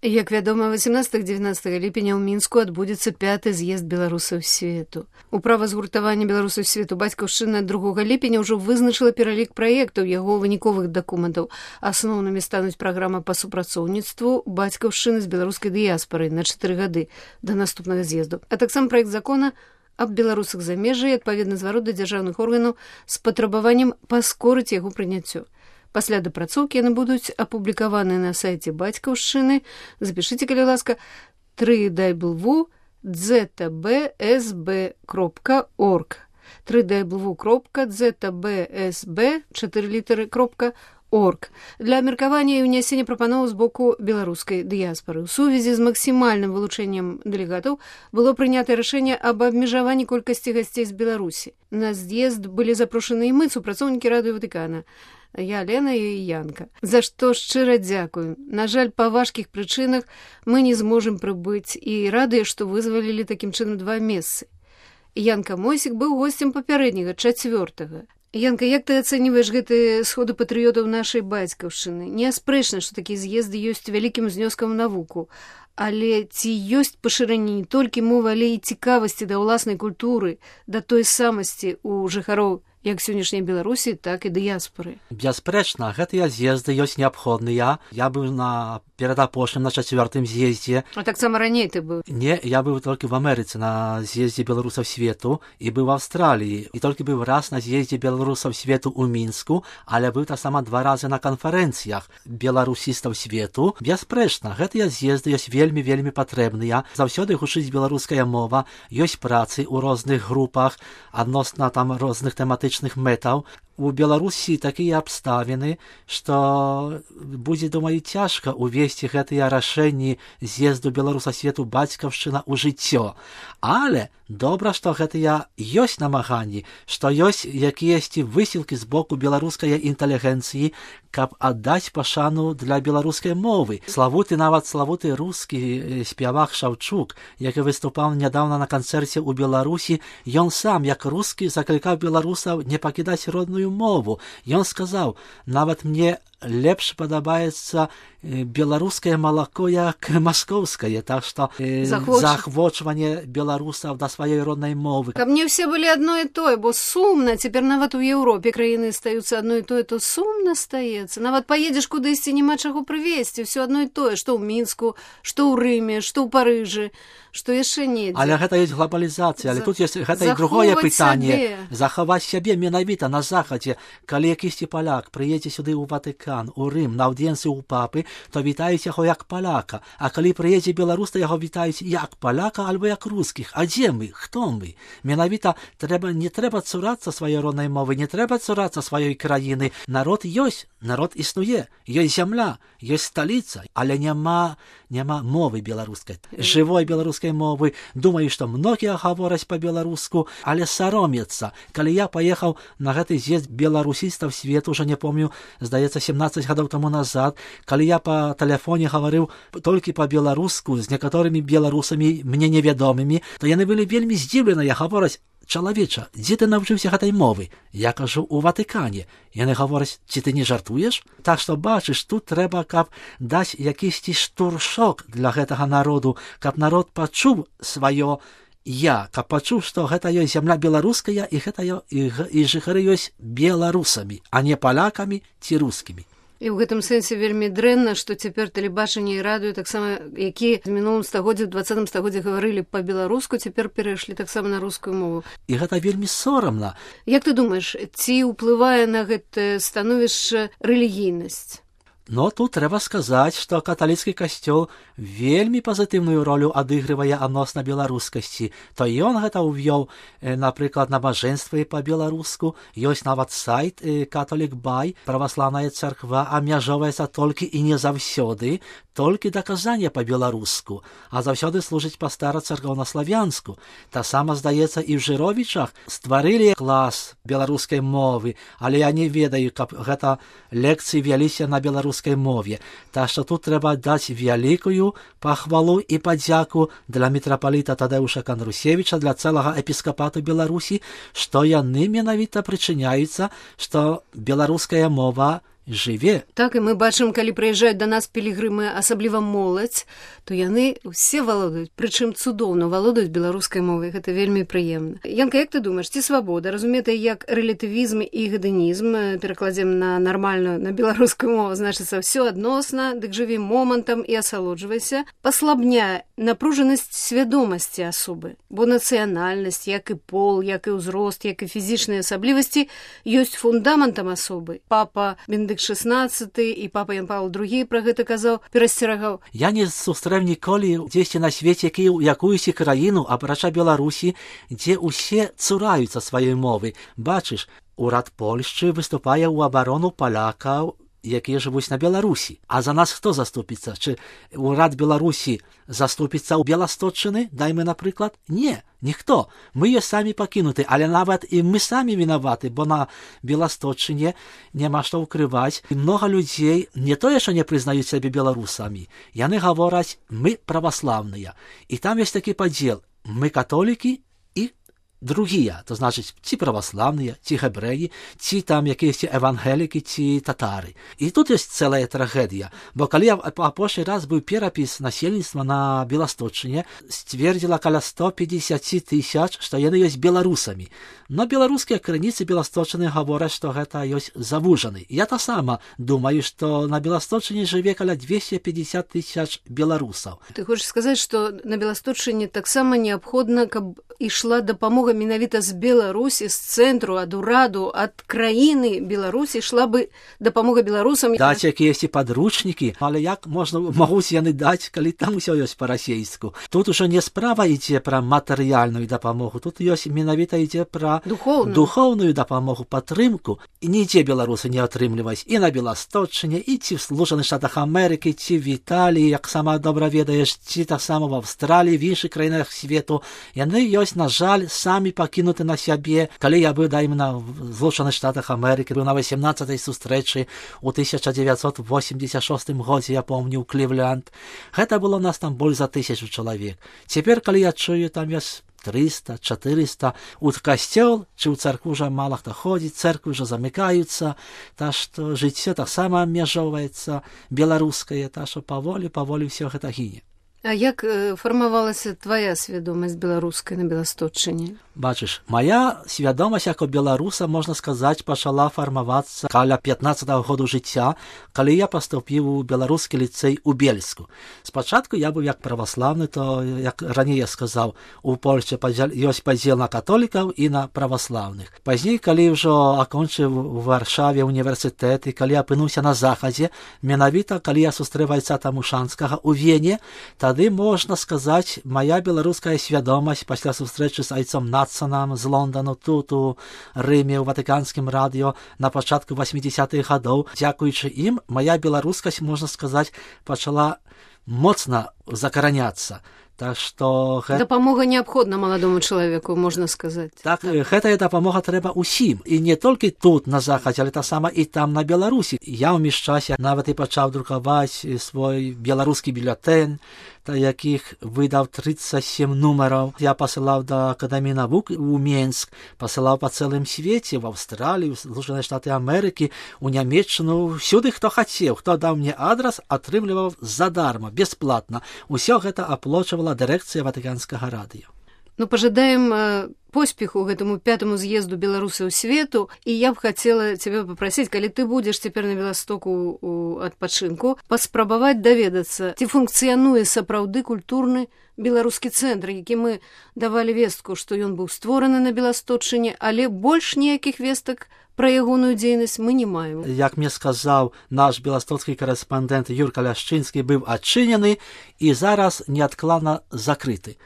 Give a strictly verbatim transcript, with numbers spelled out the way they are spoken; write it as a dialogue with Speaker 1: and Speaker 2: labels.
Speaker 1: Як вядома, васемнадцатага-дзевятнаццатага ліпеня ў Мінску адбудзецца пяты з'езд беларусаў свету. Управа згуртавання беларусаў свету бацькаўшчыны другога ліпеня ўжо вызначыла пералік праектаў яго выніковых дакументаў. Асноўнымі стануць праграма па супрацоўніцтву бацькаўшчыны з беларускай дыяспорай на чатыры гады да наступнага з'езду. А таксама праект закона аб беларусах замежжа і адпаведны зварот да дзяржаўных органаў з патрабаваннем паскорыць яго прыняццю. Пасля дапрацоўкі яны будуць апублікаваны на сайце бацькаўшчыны. Запішыце, калі ласка, три дабл ю зет би эс би кропка орг. три дабл ю кропка зет би эс би, чатыры літары, кропка орг. Для абмеркавання і ўнясення прапановаў з боку беларускай дыяспоры. У сувязі з максімальным вылучэннем дэлегатаў было прынята рашэнне аб абмежаванні колькасці гасцей з Беларусі. На з'езд былі запрошаны і мы, супрацоўнікі Радыё Ватыкана. Я, Лена і Янка. За што шчыра дзякую. На жаль, па важкіх прычынах мы не зможам прыбыць і радыя, што вызвалілі такім чынам два месцы. Янка Мойсік быў госцем папярэдняга, чацвёртага. Янка, як ты ацэньваеш гэтыя сходы патрыётаў нашай бацькаўшчыны? Неаспрэчна, што такія з'езды ёсць вялікім знёскам навуку. Але ці ёсць пашырэнне не толькі мовы, але і цікавасці да ўласнай культуры, да той самасці ў жыхароў як сённяшняй Беларусі, так і дыяспоры?
Speaker 2: Бясспрэчна, гэтыя з'езды ёсць неабходныя. Я быў на перадапошнім, на чацвёртым з'ездзе.
Speaker 1: А таксама раней ты быў?
Speaker 2: Не, я быў толькі в Амерыцы на з'ездзе беларусаў свету і быў в Аўстраліі. І толькі быў раз на з'ездзе беларусаў свету ў Мінску, але быў таксама два разы на канферэнцыях беларусістаў свету. Бясспрэчна, гэтыя з'езды ёсць вельмі-вельмі патрэбныя. Заўсёды гучыць беларуская мова, ёсць працы ў розных групах адносна там розных тэматычных мэтаў. У Беларусі такія абставіны, што будзе, думаю, цяжка увесці гэтыя рашэнні з'езду беларуса свету бацькаўшчына ў жыццё. Але добра, што гэтыя ёсць намаганні, што ёсць якіясьці высілкі з боку беларускай інтэлігенцыі, каб аддаць пашану для беларускай мовы. Славуты, нават славуты рускі спявак Шаўчук, які выступаў нядаўна на канцэрце ў Беларусі, ён сам, як рускі, заклікаў беларусаў не пакідаць родную мову. Ён сказаў, нават мне лепш падабаецца беларускае малако, як маскоўскае, так што э, захвочванне беларусаў да сваёй роднай мовы.
Speaker 1: Каб не ўсе былі адно і тое, бо сумна, цяпер нават у Еўропе краіны стаюцца адно і тое, то сумна стаецца. Нават паедзеш кудысьці, няма чаго прывезці, ўсё адно і тое, што ў Мінску, што ў Рыме, што ў Парыжы, што яшчэ недзе.
Speaker 2: Але гэта ёсць глобалізацыя, але За... тут ёсць гэта і другое пытанне. Захаваць сябе менавіта на захадзе. Калі якісьці паляк прыедзе сюды ў Ватыкан, у Рым, на аўдыенцыю ў папы, то вітаюць яго як паляка. А калі прыедзе беларус, то яго вітаюць як паляка альбо як рускіх. А дзе мы? Хто мы? Менавіта трэба, не трэба цурацца сваёй роднай мовы, не трэба цурацца сваёй краіны. Народ ёсць, народ існуе, ёсць зямля, ёсць сталіца, але няма, няма мовы беларускай, жывой беларускай мовы. Думаю, што многія гавораць па-беларуску, але саромецца. Калі я паехаў на гэты з'езд беларусістаў свету, уже не помню, здаецца, семнаццаць гадоў таму назад, калі я па тэлефоне гаварыў толькі па-беларуску з некаторымі беларусамі мне невядомымі, то яны былі вельмі здзіўленыя, гавораць: чалавеча, дзе ты навучыўся гэтай мовы? Я кажу, у Ватыкане. Яны гавораць: ці ты не жартуеш? Так што, бачыш, тут трэба, каб даць якісьці штуршок для гэтага народу, каб народ пачуў сваё я, каб пачуў, што гэта ёсць зямля беларуская і гэта ё, і, і жыхары ёсць беларусамі, а не палякамі ці рускімі.
Speaker 1: І ў гэтым сэнсе вельмі дрэнна, што цяпер тэлебачанне і радыё таксама, якія в мінулым стагоддзі, в дваццатым стагоддзі гаварылі па-беларуску, цяпер перайшлі таксама на рускую мову.
Speaker 2: І гэта вельмі сорамна.
Speaker 1: Як ты думаеш, ці ўплывае на гэтае становішча рэлігійнасць?
Speaker 2: Но тут трэба сказаць, што каталіцкі касцёл вельмі пазітыўную ролю адыгрывае адносна беларускасці. То ён гэта ўвёў, э, напрыклад, набажэнствы па-беларуску. Ёсць нават сайт э, Catholic Bay, праваслаўная царква абмяжоўваецца толькі і не заўсёды, толькі даказанне па-беларуску, а заўсёды служыць па стара-царкоўнаславянску. Таксама, здаецца, і ў Жыровічах стварылі клас беларускай мовы, але я не ведаю, каб гэта лекцыі вяліся на беларускай мове. Так што тут трэба даць вялікую пахвалу і падзяку для мітрапаліта Тадэуша Кандрусевіча, для цэлага епіскапату Беларусі, што яны менавіта прычыняюцца, што беларуская мова жыве.
Speaker 1: Так, і мы бачым, калі прыязджаюць да нас пілігрымы, асабліва моладзь, то яны ўсе валодаюць, прычым цудоўна валодаюць беларускай мовай. Гэта вельмі прыемна. Янка, як ты думаеш, ці свабода, разумета як рэлятывізм і гедэнізм, перакладзем на нармальную, на беларускую мову, значыцца, ўсё адносна, дык жыві момантам і асалоджвайся, паслабняе напружанасць свядомасці асобы, бо нацыянальнасць, як і пол, як і ўзрост, як і фізічныя асаблівасці ёсць фундаментам асобы. Папа Бендыкт шестнадцаты і папа Ян Павел другі пра гэта казаў, перасцерагаў.
Speaker 2: Я не сустрэў ніколі дзесьці на свеце якуюсь краіну, апрача Беларусі, дзе ўсе цураюцца сваёй мовы. Бачыш, урад Польшчы выступае ў абарону палякаў, якія жывуць на Беларусі. А за нас хто заступіцца? Чи урад Беларусі заступіцца ў Беласточчыны, дайме, напрыклад? Не, ніхто. Мы ёсць самі пакінуты, але нават і мы самі вінаваты, бо на Беласточчыне няма што ўкрываць. І многа людзей не тое, што не прызнаюць сябе беларусамі. Яны гавораць, мы праваслаўныя. І там ёсць такі падзел. Мы католікі, другія, то значыць, ці праваслаўныя, ці габрэі, ці там якісь евангелікі, ці татары. І тут ёсць цэлая трагедія, бо калі апошні раз быў перапіс насельніцтва на Беласточчыне, сцвердзіла каля сто пятьдесят тысяч, што яны ёсць беларусамі. Но беларускія крыніцы Беласточчыны гавораць, што гэта ёсць завужаны. Я таксама думаю, што на Беласточчыне жыве каля двести пятьдесят тысяч беларусаў.
Speaker 1: Ты хочаш сказаць, што на Беласточчыне таксама неабходна, каб ішла дапамога менавіта з Беларусі, з цэнтру, ад ураду, ад краіны Беларусі, ішла бы дапамога беларусам.
Speaker 2: Даць якіясь падручнікі, але як можна могуць яны даць, калі там усё ёсць па-расейску? Тут ужо не справа ідзе пра матэрыяльную дапамогу, тут ёсць менавіта ідзе пра
Speaker 1: духоўную.
Speaker 2: духоўную дапамогу, падтрымку. І нідзе беларусы не атрымліваюць і на Беласточчыне, і ці в Злучаных Штатах Амерыкі, ці в Італіі, як сама добра ведаеш, ці таксама в Аўстраліі, в іншых краінах свету. Яны ёсць, на жаль, самі пакінуты на сябе. Калі я быў, дайме, на Злучаных Штатах Амерыкі, быў на восемнадцатай сустрэчы ў тысяча дзевяцьсот восемьдесят шостым годзе, я помню, ў Клівленд. Гэта было нас там больш за тысячу чалавек. Цяпер, калі я чую, там ёсць триста, четыреста, у касцёл, чи у церкву уже мало хто ходить, церкви уже замыкаются, так что жыццё таксама абмяжоўваецца беларускае, так что паволі, паволі ўсё гэта гіне.
Speaker 1: А як э, фармавалася твоя свядомасць беларускай на Беласточчыне?
Speaker 2: Бачыш, моя свядомасць як у беларуса, можна сказаць, пачала фармавацца каля пятнаццатага году жыцця, калі я паступіў у беларускі ліцэй у Бельску. Спачатку я быў як праваслаўны, то, як раней я сказаў, у Польшчы ёсць падзел на католікаў і на праваслаўных. Пазней, калі ўжо акончыў у Варшаве універсітэт, і калі апынуўся на захадзе, менавіта, калі я сустрэў Айца Тамушанскага ў Вене, тады, можна сказаць, моя беларуская свядомасць пасля сустрэчы з айцом Надсонам з Лондану, тут у Рыме, у Ватыканскім радыё на пачатку восьмидесятых гадоў, дзякуючы ім, моя беларускасць, можна сказаць, пачала моцна закараняцца. Так што гэта...
Speaker 1: Дапамога неабходна маладому чалавеку, можна сказаць.
Speaker 2: Так, так, гэтая дапамога трэба ўсім. І не толькі тут, на захадзе, але таксама і там, на Беларусі. Я ў міжчасе нават і пачаў друкаваць свой беларускі бюлетэнь, та якіх выдаў тридцать семь нумараў. Я пасылаў да Акадэміі навук у Менск, пасылаў па цэлым свеце, в Аўстралію, в Злучаныя Штаты Амерыкі, у Нямецчыну, всюды, хто хацеў, хто даў мне адрас, атрымліваў задарма, бесплатна. Усё гэта аплочвала дырэкцыя Ватыканскага радыё.
Speaker 1: Ну, пожадаем э, поспеху гэтаму пятому з'езду беларусаў свету, і я б хацела цябе папрасіць, калі ты будзеш цяпер на Беластоку у адпачынку, паспрабаваць даведацца, ці функцыянуе сапраўды культурны беларускі цэнтр, які мы давалі вестку, што ён быў створаны на Беласточчыне, але больш ніякіх вестак пра ягоную дзейнасць мы не маем.
Speaker 2: Як мне сказаў наш беластоцкі корэспандэнт Юрка Ляшчынскі, быў адчынены і зараз неадкладна закрыты.